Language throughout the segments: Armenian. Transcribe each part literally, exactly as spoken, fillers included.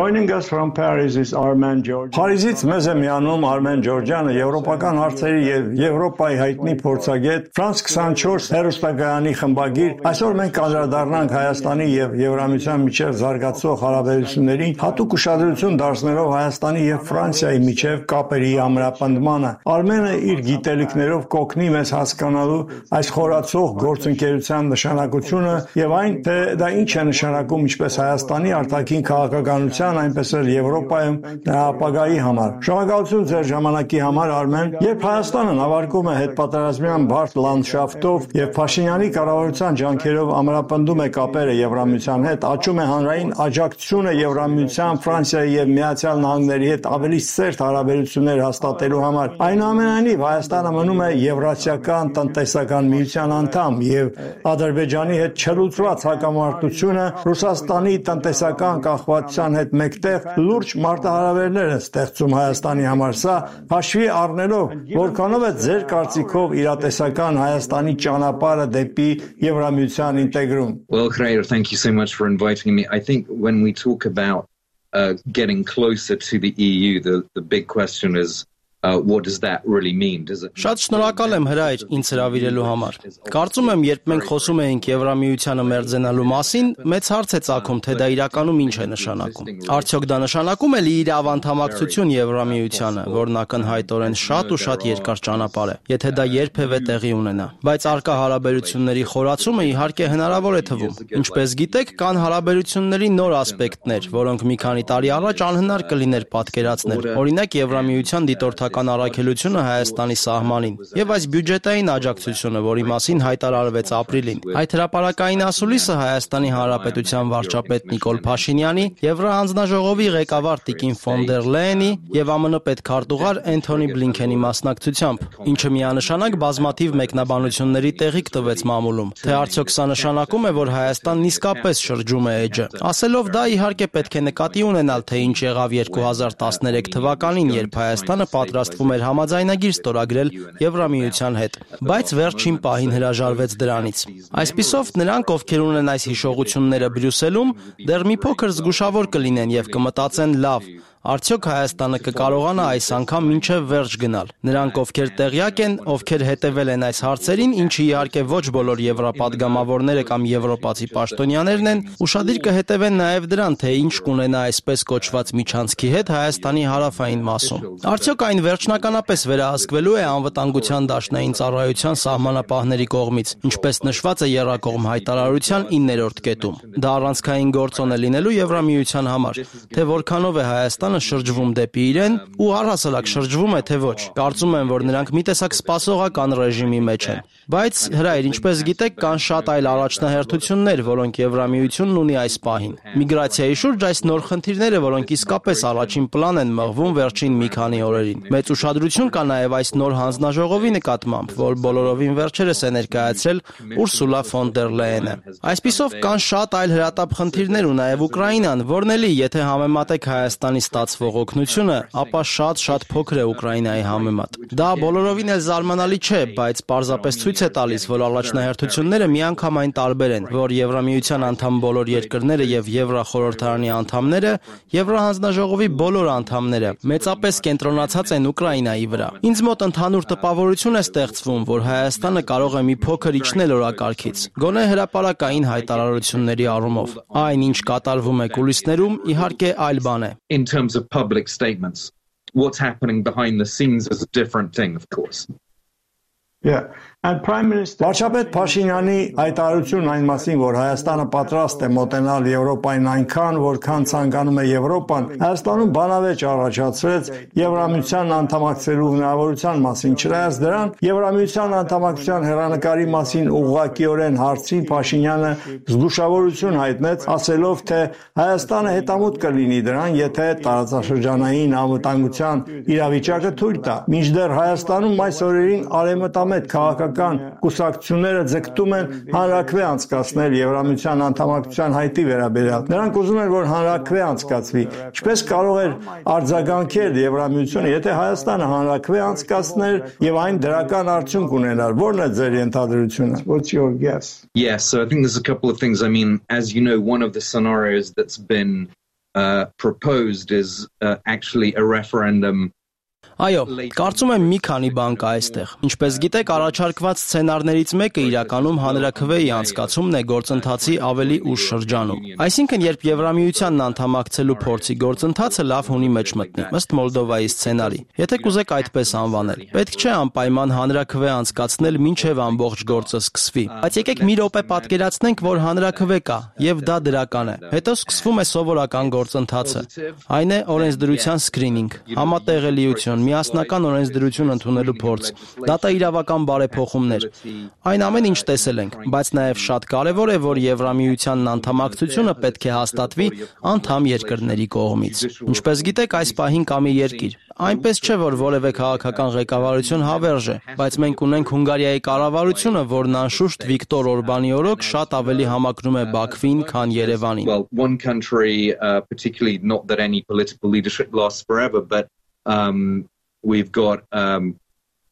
Joining us from Paris is Armen Georgian. Փարիզից մեզ է միանում Արմեն Ջորջյանը, եվրոպական հարցերի եւ Եվրոպայի հայտնի փորձագետ, Ֆրանս twenty-four հեռուստակայանի խմբագիր։ Այսօր մենք կանդրադառնանք Հայաստանի եւ Եվրամիության միջև զարգացող հարաբերություններին, հատուկ ուշադրություն դարձնելով Հայաստանի եւ Ֆրանսիայի միջև կապերի ամրապնդմանը։ Արմենը իր գիտելիքներով կօգնի մեզ հասկանալու այս խորացող գործընկերության նշանակությունը եւ այն, թե դա ինչ է նշանակում ինչպես Հայաստանի արտաքին քաղաքականության, այնպես էլ Եվրոպայում նրա ապագայի համար։ Շնորհակալություն ձեր ժամանակի համար, Արմեն։ Երբ Հայաստանը նավարկում է հետպատերազմյան բարդ լանդշաֆտով եւ Փաշինյանի կառավարության ջանքերով ամրապնդում է կապերը Եվրամիության հետ, աճում է հանրային աջակցությունը Եվրամիության, Ֆրանսիայի եւ Միացյալ Նահանգների հետ ավելի սերտ հարաբերություններ հաստատելու համար։ Այնուամենայնիվ Հայաստանը մնում է Եվրասիական տնտեսական միության անդամ եւ Ադրբեջանի հետ չլուծված հակամարտությունը Ռուսաստանի տնտեսական կախվածության հետ մեկտեղ լուրջ մարտահրավերներ է ստեղծում Հայաստանի համար։ Սա հաշվի առնելով, որքանով է ձեր կարծիքով իրատեսական Հայաստանի ճանապարհը դեպի Եվրամիության ինտեգրում։ Well, Khayr, thank you so much for inviting me. I think when we talk about uh, getting closer to the E U, the, the big question is Uh, what does that really mean? Does it... Շատ շնորհակալ եմ հրայր ինձ հրավիրելու համար։ Կարծում եմ, երբ մենք խոսում ենք Եվրամիությանը մերձենալու մասին, մեծ հարց է ծագում, թե դա իրականում ինչ է նշանակում։ Արդյոք դա նշանակում է լիիրավ անդամակցություն Եվրամիությանը, որն ակնհայտորեն շատ ու շատ երկար ճանապարհ է, եթե դա երբևէ տեղի ունենա։ Բայց առկա հարաբերությունների խորացումը իհարկե հնարավոր է թվում։ Ինչպես գիտեք, կան հարաբերությունների նոր ասպեկտներ, որոնք մի քանի տարի առաջ անհնար կլիներ պատկերացնել։ Օրինակ Եվրամիության դիտորդական առաքելությունը Հայաստանի սահմանին եւ այս բյուջետային աջակցությունը, որի մասին հայտարարվեց ապրիլին։ Այդ հրապարակային ասուլիսը Հայաստանի Հանրապետության վարչապետ Նիկոլ Փաշինյանի, Եվրահանձնաժողովի ղեկավար Տիկին ֆոն դեր Լեյենի եւ ԱՄՆ պետքարտուղար Էնթոնի Բլինքենի մասնակցությամբ, ինչը միանշանակ բազմաթիվ մեկնաբանությունների տեղիք տվեց մամուլում։ Թե արդյոք սա նշանակում է, որ Հայաստանն իսկապես շրջում է էջը։ Ասելով դա, իհարկե պետք է նկատի ունենալ, թե ինչ եղավ two thousand thirteen թվականին, երբ Հայաստանը պատրաստվում էր համաձայնագիր ստորագրել Եվրամիության հետ, բայց վերջին պահին հրաժարվեց դրանից։ Այսպիսով, նրանք, ովքեր ունեն այս հիշողությունները Բրյուսելում, դեռ մի փոքր զգուշավոր կլինեն եւ կմտածեն՝ լավ, արդյոք Հայաստանը կկարողանա այս անգամ մինչև վերջ գնալ։ Նրանք, ովքեր տեղյակ են, ովքեր հետևել են այս հարցերին, ինչը իհարկե ոչ բոլոր եվրոպադգամավորները կամ եվրոպացի պաշտոնյաներն են, ուշադիր կհետևեն նաև դրան, թե ինչ կունենա այսպես կոչված միջանցքի հետ Հայաստանի հարավային մասում։ Արդյոք այն վերջնականապես վերահսկվելու է անվտանգության դաշնային ծառայության սահմանապահների կողմից, ինչպես նշված է եռակողմ հայտարարության իններորդ կետում։ Դա առանցքային գործոն է լինելու Եվրամիության համար, թե որքանով է Հայաստանը շրջվում դեպի իրեն ու առհասարակ շրջվում է թե ոչ։ Կարծում եմ, որ նրանք մի տեսակ սպասողական ռեժիմի մեջ են։ Բայց հրայր, ինչպես գիտեք, կան շատ այլ առաջնահերթություններ, որոնք Եվրամիությունն ունի այս պահին։ Միգրացիայի շուրջ այս նոր խնդիրները, որոնք իսկապես առաջին պլան են մղվում վերջին մի քանի օրերին։ Մեծ ուշադրություն կա նաև այս նոր հանձնաժողովի նկատմամբ, որ բոլորովին վերջերս է ներկայացրել Ուրսուլա ֆոն դեր Լեյենը։ Այսպիսով կան շատ այլ հրատապ խնդիրներ ու նաև Ուկրաինան, որն էլի, եթե համեմատեք Հայաստանի ստացվող օգնությունը, ապա շատ-շատ փոքր է Ուկրաինայի համեմատ։ Դա բոլորովին էլ զարմանալի չէ, բայց պարզապես ցույց է տալիս, որ առաջնահերթությունները միանգամայն տարբեր են, որ Եվրամիության անդամ բոլոր երկրները եւ Եվրախորհրդարանի անդամները, Եվրահանձնաժողովի բոլոր անդամները մեծապես կենտրոնացած են Ուկրաինայի վրա։ Ինձ մոտ ընդհանուր տպավորություն է ստեղծվում, որ Հայաստանը կարող է մի փոքր իջնել օրակարգից, գոնե հրապարակային հայտարարությունների առումով։ Այն, ինչ կատարվում է կուլիսներում, իհարկե այլ բան է։ In terms of public statements, what's happening behind the scenes is a different thing, of course. Yeah. Վարչապետ Փաշինյանի հայտարարությունն այն մասին, որ Հայաստանը պատրաստ է մոտենալ Եվրոպային այնքան, որքան ցանկանում է Եվրոպան, Հայաստանում բանավեճ առաջացրեց Եվրամիության անդամակցելու հնարավորության մասին։ Չնայած դրան, Եվրամիության անդամակցության հեռանկարի մասին ուղղակիորեն հարցին Փաշինյանը զգուշավորություն հայտնեց, ասելով, թե Հայաստանը հետամուտ կլինի դրան, եթե տարածաշրջանային անվտանգության իրավիճակը թույլ տա։ Մինչդեռ Հայաստանում այս օրերին արևմտամետ քաղաքական կուսակցությունները ձգտում են հանրաքվե անցկացնել Եվրամիության անդամակցության հայտի վերաբերյալ։ Նրանք ուզում են, որ հանրաքվե անցկացվի։ Ինչպես կարող էր արձագանքել Եվրամիությունը, եթե Հայաստանը հանրաքվե անցկացներ եւ այն դրական արդյունք ունենար։ Ո՞րն է ձեր ենթադրությունը? What's your guess? Yes, so I think there's a couple of things. I mean, as you know, one of the scenarios that's been uh, proposed is uh, actually a referendum. Այո, կարծում եմ մի քանի բան կա այստեղ։ Ինչպես գիտեք, առաջարկված սցենարներից մեկը իրականում հանրաքվեի անցկացումն է գործընթացի ավելի ուշ շրջանում։ Այսինքն, երբ Եվրամիությանն անդամակցելու փորձի գործընթացը լավ հունի մեջ մտնի, ըստ Մոլդովայի սցենարի։ Եթե կուզեք այդպես անվանել, պետք չէ անպայման հանրաքվե անցկացնել մինչև ամբողջ գործը սկսվի։ Բայց եկեք մի րոպե պատկերացնենք, որ հանրաքվե կա, եւ դա դրական է։ Հետո սկսվում է սովորական գործընթացը։ Այն է օրենսդրության սկրինինգ, համատեղելիություն, միասնական օրենսդրություն ընդունելու փորձ, դատաիրավական բարեփոխումներ։ Այն ամեն ինչ տեսել ենք, բայց նաև շատ կարևոր է, որ Եվրամիությանն անդամակցությունը պետք է հաստատվի անդամ երկրների կողմից։ Ինչպես գիտեք, այս պահին կա մի երկիր։ Այնպես չէ, որ որևէ քաղաքական ղեկավարություն հավերժ է, բայց մենք ունենք Հունգարիայի կառավարությունը, որն անշուշտ Վիկտոր Օրբանի օրոք շատ ավելի համակրում է Բաքվին, քան Երևանին։ Well, one country, uh, particularly not that any political leadership lasts forever, but um, we've got um,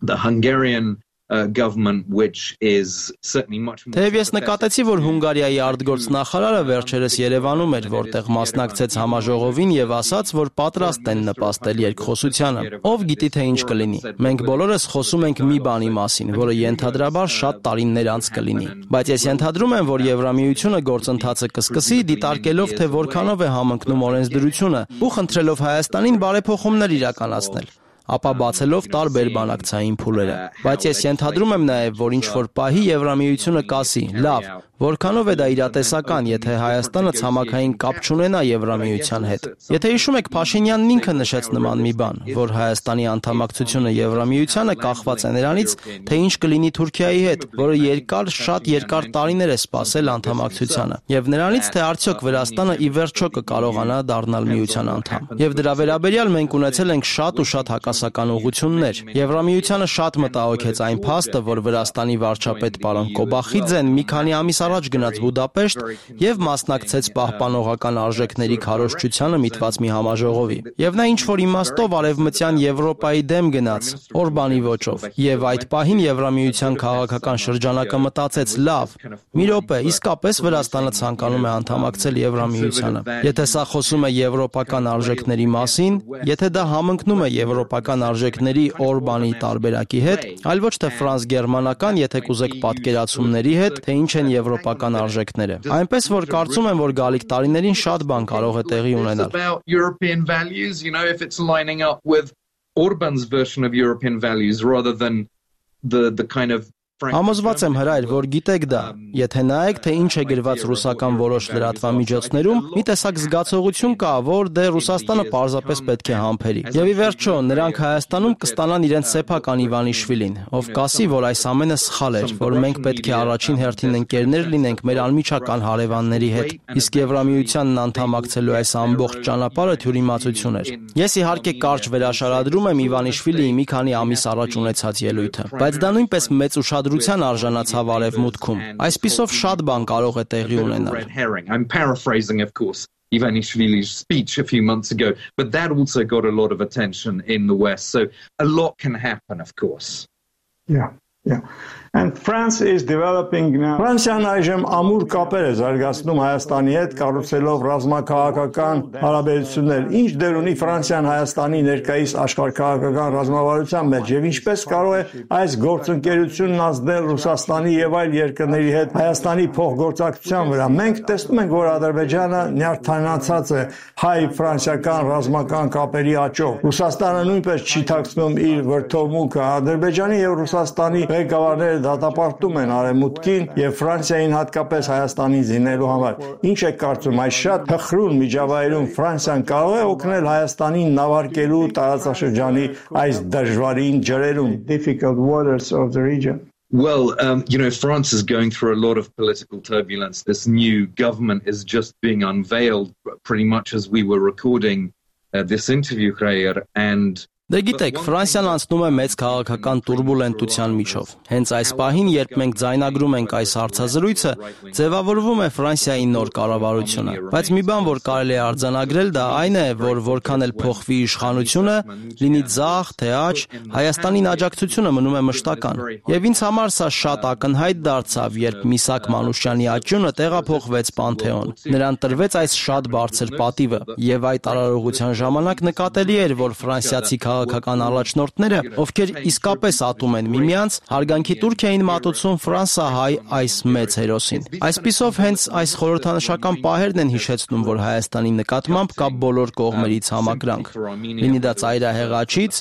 the Hungarian uh, government, which is certainly much more. Թեև ես նկատեցի, որ Հունգարիայի արտգործ նախարարը վերջերս Երևանում էր, որտեղ մասնակցեց համաժողովին եւ ասաց, որ պատրաստ են նպաստել երկխոսությանը։ Ով գիտի թե ինչ կլինի։ Մենք բոլորս խոսում ենք մի բանի մասին, որը ենթադրաբար շատ տարիներ անց կլինի։ Բայց ես ենթադրում եմ, որ Եվրամիությունը գործընթացը կսկսի, դիտարկելով թե որքանով է համընկնում օրենսդրությունը ու խնդրելով Հայաստանին բարեփոխումներ իրականացնել, ապա բացելով տարբեր բանակցային փուլերը։ Բայց ես ենթադրում եմ նաև, որ ինչ-որ պահի Եվրամիությունը կասի. լավ, որքանով է դա իրատեսական, եթե Հայաստանը ցամաքային կապ չունենա Եվրամիության հետ։ Եթե հիշում եք, Փաշինյանն ինքը նշեց նման մի բան, որ Հայաստանի անդամակցությունը Եվրամիությանը կախված է նրանից, թե ինչ կլինի Թուրքիայի հետ, որը երկար, շատ երկար տարիներ է սպասել անդամակցությանը, եւ նրանից, թե արդյոք Վրաստանը ի վերջո կկարողանա դառնալ միության անդամ։ Եվ դրա վերաբերյալ մենք ունեցել ենք շատ ու շատ հակասական ուղղություններ։ Եվրամիությանը շատ մտահոգեց այն փաստը, որ Վրաստանի վարչապետ պարոն Կոբախիձեն մի քանի ամիս առաջ գնաց Բուդապեշտ եւ մասնակցեց պահպանողական արժեքների քարոզչությանը միտված մի համաժողովի։ Եվ նա ինչ-որ իմաստով արևմտյան Եվրոպայի դեմ գնաց, Օրբանի ոճով։ Եվ այդ պահին Եվրամիության քաղաքական շրջանակը մտածեց. լավ, մի րոպե, իսկապես Վրաստանը ցանկանում է անդամակցել Եվրամիությանը։ Եթե սա խոսում է եվրոպական արժեքների մասին, եթե դա համընկնում է եվրոպական արժեքների Օրբանի տարբերակի հետ, այլ ոչ թե ֆրանս-գերմանական, եթե կուզեք պատկերացումների հետ, թե ինչ են եվրոպական արժեքները։ Այնպես որ կարծում եմ, որ գալիք տարիներին շատ բան կարող է տեղի ունենալ։ European values, you know, if it's lining up with Orban's version of European values rather than the the kind of Համոզված եմ հրայր, որ գիտեք դա, եթե նայեք, թե ինչ է գրված ռուսական որոշ լրատվամիջոցներում, մի տեսակ զգացողություն կա, որ դե Ռուսաստանը պարզապես պետք է համբերի։ Եվ ի վերջո, նրանք Հայաստանում կստանան իրենց սեփական Իվանիշվիլին, ով կասի, որ այս ամենը սխալ էր, որ մենք պետք է առաջին հերթին ընկերներ լինենք մեր անմիջական հարևանների հետ։ Իսկ Եվրամիությանն անդամակցելու այս ամբողջ ճանապարհը թյուրիմացություն էր։ Ես իհարկե կարճ վերաշարադրում եմ Իվանիշվիլիի մի քանի ամիս առաջ ունեցած ելույթը, բայց դա նույնպես մեծ ուշադրության արժանացավ արևմուտքում։ Այսպիսով շատ բան կարող է տեղի ունենալ։ I'm paraphrasing, of course, Ivanishvili's speech a few months ago, but that also got a lot of attention in the West. So a lot can happen, of course. Yeah, yeah. And France is developing now. Ֆրանսիան այժմ ամուր կապեր է զարգացնում Հայաստանի հետ, կառուցելով ռազմաքաղաքական հարաբերություններ։ Ինչ դեր ունի Ֆրանսիան Հայաստանի ներկայիս աշխարհաքաղաքական ռազմավարության մեջ եւ ինչպես կարող է այս գործընկերությունն ազդել Ռուսաստանի եւ այլ երկրների հետ Հայաստանի փոխգործակցության վրա։ Մենք տեսնում ենք, որ Ադրբեջանը նյարդայնացած է հայ-ֆրանսիական ռազմական կապերի աճով։ Ռուսաստանը նույնպես չի թաքցնում իր վրդովմունքը։ Ադրբեջանի եւ Ռուսաստանի ղեկավարները դատապարտում են արևմուտքին եւ Ֆրանսիային հատկապես Հայաստանին զինելու համար։ Ինչ է կարծում, այս շատ հխրուն միջավայրում Ֆրանսիան կարող է օգնել Հայաստանին նավարկելու տարածաշրջանի այս դժվարին ջրերում, difficult waters of the region? Well, um, you know, France is going through a lot of political turbulence. This new government is just being unveiled pretty much as we were recording uh, this interview, Khayr, and Դե գիտեք, Ֆրանսիան անցնում է մեծ քաղաքական турբուլենտության միջով։ Հենց այս պահին, երբ մենք ձայնագրում ենք այս հարցազրույցը, ձևավորվում է Ֆրանսիայի նոր կառավարությունը։ Բայց մի բան, որ կարելի է արձանագրել, դա այն է, որ որքան էլ փոխվի իշխանությունը, լինի ձախ, թե աջ, Հայաստանին աջակցությունը մնում է մշտական։ Եվ ինձ համար սա շատ ակնհայտ դարձավ, երբ Միսակ Մանուշյանի աճյունը տեղափոխվեց Պանթեոն։ Նրան տրվեց այս շատ բարձր պատիվը, եւ այդ արարողության ժամանակ նկատելի էր, որ ֆրանսիացի քաղաքական առաջնորդները, ովքեր իսկապես ատում են միմյանց, հարգանքի տուրք էին մատուցում ֆրանսահայ այս մեծ հերոսին։ Այսպիսով հենց այս խորհրդանշական պահերն են հիշեցնում, որ Հայաստանի նկատմամբ կա բոլոր կողմերից համակրանք։ Լինի դա ծայրահեղաչից,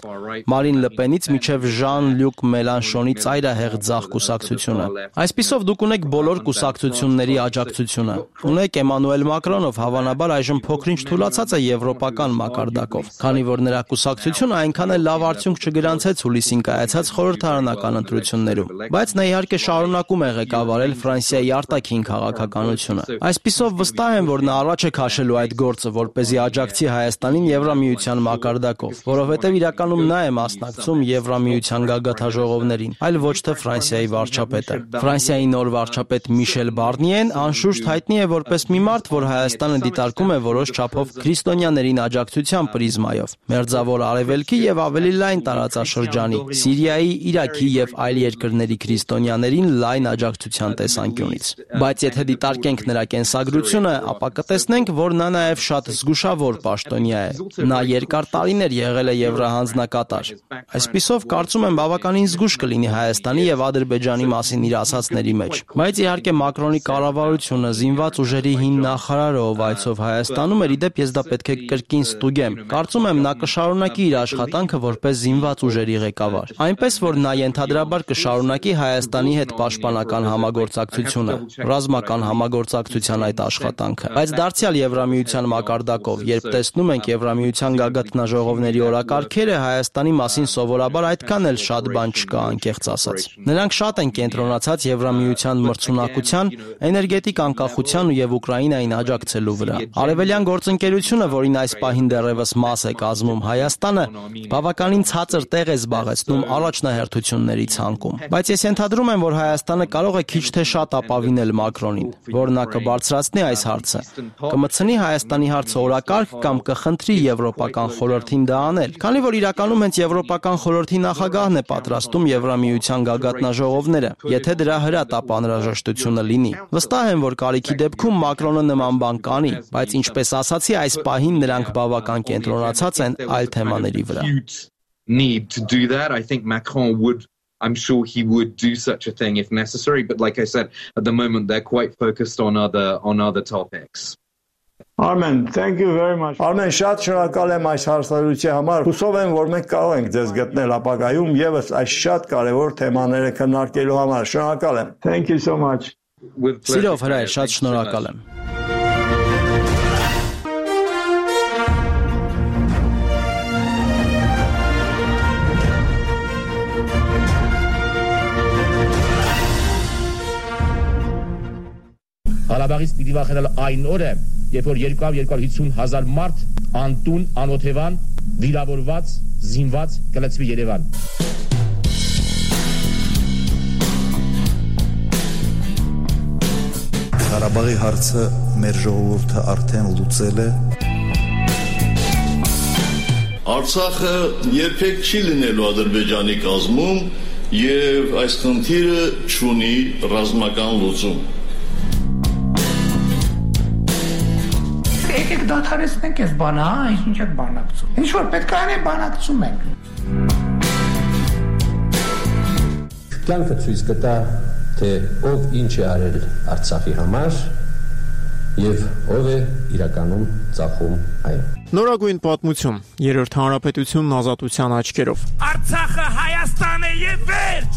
Մարին Լպենից մինչև Ժան-Լյուկ Մելանշոնի ծայրահեղ ձախ կուսակցությունը։ Այսպիսով դուք ունեք բոլոր կուսակցությունների աջակցությունը։ Ունեք Էմանուել Մակրոնով, հավանաբար այժմ փոքրինչ թուլացած է եվրոպական մակարդակով, քանի որ նրա կուսակցությունը այնքան էլ լավ արդյունք չգրանցեց հուլիսին կայացած խորհրդարանական ընտրություններում, բայց նա իհարկե շարունակում է ղեկավարել Ֆրանսիայի արտաքին քաղաքականությունը։ Այսպիսով վստահ եմ, որ նա առաջ է քաշելու այդ գործը, որպեսզի աջակցի Հայաստանին Եվրամիության մակարդակով, որովհետև իրականում նա է մասնակցում Եվրամիության գագաթաժողովներին, այլ ոչ թե Ֆրանսիայի վարչապետը։ Ֆրանսիայի նոր վարչապետ Միշել Բարնիեն անշուշտ հայտնի է որպես մի մարդ, որ Հայաստանը դիտարկում է որոշ չափով քրիստոնյաներին աջակցության պրիզմայով, Մերձավոր Արևելքի եւ ավելի լայն տարածաշրջանի, Սիրիայի, Իրաքի եւ այլ երկրների քրիստոնյաներին լայն աջակցության տեսանկյունից։ Բայց եթե դիտարկենք նրա կենսագրությունը, ապա կտեսնենք, որ նա նաեւ շատ զգուշավոր պաշտոնյա է։ Նա երկար տարիներ եղել է եվրահանձնակատար։ Այսպիսով կարծում եմ բավականին զգուշ կլինի Հայաստանի եւ Ադրբեջանի մասին իր ասածների մեջ։ Բայց իհարկե Մակրոնի կառավարությունը, զինված ուժերի հին նախարարը, ով այցով Հայաստանում էր, իդեպ ես դա պետք է կրկին ստուգեմ։ Կարծում եմ նա կշարունակի իր աշխատանքը որպես զինված ուժերի ղեկավար, այնպես որ նա ենթադրաբար կշարունակի Հայաստանի հետ պաշտպանական համագործակցությունը, ռազմական համագործակցության այդ աշխատանքը։ Բայց դարձյալ Եվրամիության մակարդակով, երբ տեսնում ենք Եվրամիության գագաթնաժողովների օրակարգերը, Հայաստանի մասին սովորաբար այդքան էլ շատ բան չկա, անկեղծ ասած։ Նրանք շատ են կենտրոնացած Եվրամիության մրցունակության, էներգետիկ անկախության եւ Ուկրաինային աջակցելու վրա։ Արևելյան գործընկերությունը, որին այս պահին դեռևս մաս է կազմում Հայաստանը, բավականին ցածր տեղ է զբաղեցնում առաջնահերթությունների ցանկում։ Բայց ես ենթադրում եմ, որ Հայաստանը կարող է քիչ թե շատ ապավինել Մակրոնին, որ նա կբարձրացնի այս հարցը, կմտցնի Հայաստանի հարցը օրակարգ կամ կխնդրի Եվրոպական խորհրդին դա անել, քանի որ իրականում հենց Եվրոպական խորհրդի նախագահն է պատրաստում Եվրամիության գագաթնաժողովները, եթե դրա հրատապ անհրաժեշտությունը լինի։ Վստահ եմ, որ կարիքի դեպքում Մակրոնը նման բան կանի, բայց ինչպես ասացի, այս պահին նրանք բավական կենտրոնացած են այլ թեմաների վրա։ Need to do that. I think Macron would I'm sure he would do such a thing if necessary, but like I said, at the moment they're quite focused on other on other topics. Armen, thank you very much. Armen, շատ շնորհակալ եմ այս հարցազրույցի համար։ Հուսով եմ, որ մենք կարող ենք ձեզ գտնել ապագայում եւս այս շատ կարեւոր թեմաները քննարկելու համար։ Շնորհակալ եմ. Thank you so much. Սիրով հրայր, շատ շնորհակալ եմ։ Ղարաբաղից պիտի վախենալ այն օրը, երբ որ երկու հարյուր հիսուն հազար մարդ անտուն, անօթևան, վիրավորված, զինված կլցվի Երևան։ Ղարաբաղի հարցը մեր ժողովուրդը արդեն լուծել է։ Արցախը երբեք չի լինելու Ադրբեջանի կազմում եւ այս խնդիրը չունի ռազմական լուծում։ Եկեք դադարեցնենք այս բանը, հա, ինչ եք բանակցում։ Ինչ որ պետք է անենք, բանակցում ենք։ Կյանքը ցույց կտա, թե ով ինչ է արել Արցախի համար եւ ով է իրականում ծախում այն։ Նորագույն պատմություն, երրորդ հանրապետությունն ազատության աչքերով։ Արցախը Հայաստան է եւ վերջ։